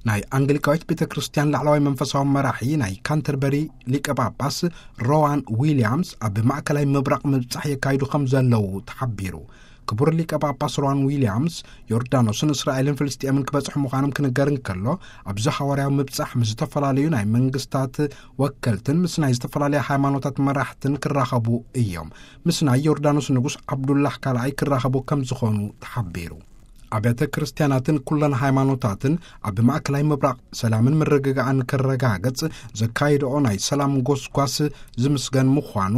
ናይ ኣንግሊካዊት ቤተ ክርስቲያን ላዕለዋይ መንፈሳዊ መራሒ ናይ ካንተርበሪ ሊቀ ጳጳስ ሮዋን ዊልያምስ ኣብ ማእከላይ ምብራቕ ምብጻሕ የካይዱ ከም ዘለዉ ተሓቢሩ። ክቡር ሊቀ ጳጳስ ሮዋን ዊልያምስ ዮርዳኖስን እስራኤልን ፍልስጤምን ክበጽሑ ምዃኖም ክንገር እንከሎ፣ ኣብዚ ሓዋርያዊ ምብጻሕ ምስ ዝተፈላለዩ ናይ መንግስታት ወከልትን ምስ ናይ ዝተፈላለያ ሃይማኖታት መራሕትን ክራኸቡ እዮም። ምስ ናይ ዮርዳኖስ ንጉስ ዓብዱላህ ካልኣይ ክራኸቡ ከም ዝኾኑ ተሓቢሩ። ኣብያተ ክርስቲያናትን ኩለን ሃይማኖታትን ኣብ ማእከላይ ምብራቕ ሰላምን ምርግጋእን ክረጋገጽ ዘካየድኦ ናይ ሰላም ጎስጓስ ዝምስገን ምዃኑ፣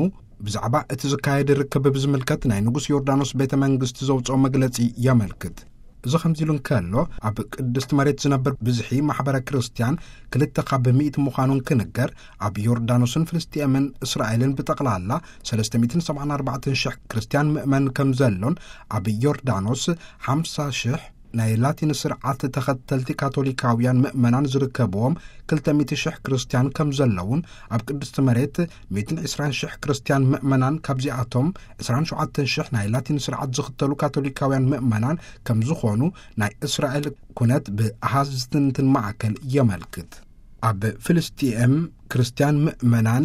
ብዛዕባ እቲ ዝካየድ ርክብ ብዝምልከት ናይ ንጉስ ዮርዳኖስ ቤተ መንግስቲ ዘውፅኦ መግለጺ የመልክት። እዚ ከምዚ ኢሉ እንከሎ፣ ኣብ ቅድስቲ መሬት ዝነብር ብዝሒ ማሕበረ ክርስቲያን ክልተ ካብ ሚእቲ ምዃኑ እንክንገር፣ ኣብ ዮርዳኖስን ፍልስጤምን እስራኤልን ብጠቕላላ ሰለስተ ሚእትን ሰብዓን ኣርባዕተን ሽሕ ክርስቲያን ምእመን ከም ዘሎን፣ ኣብ ዮርዳኖስ ሓምሳ ሽሕ ናይ ላቲን ስርዓት ተኸተልቲ ካቶሊካውያን ምእመናን ዝርከብዎም ክልተ ሚእቲ ሽሕ ክርስቲያን ከም ዘለውን፣ ኣብ ቅድስቲ መሬት ሚእትን ዕስራን ሽሕ ክርስቲያን ምእመናን፣ ካብዚኣቶም ዕስራን ሸውዓተን ሽሕ ናይ ላቲን ስርዓት ዝኽተሉ ካቶሊካውያን ምእመናን ከም ዝኾኑ ናይ እስራኤል ኩነት ብኣሃዝ ዝትንትን ማዕከል የመልክት። ኣብ ፍልስጢኤም ክርስቲያን ምእመናን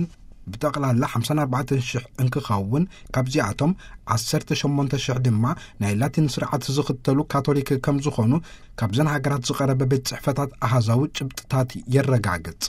ብጠቕላላ ሓምሳን ኣርባዕተን ሽሕ እንክኸውን፣ ካብዚኣቶም ዓሰርተ ሸሞንተ ሽሕ ድማ ናይ ላቲን ስርዓት ዝኽተሉ ካቶሊክ ከም ዝኾኑ፣ ካብዘን ሃገራት ዝቐረበ ቤት ጽሕፈታት ኣሃዛዊ ጭብጥታት የረጋግጽ።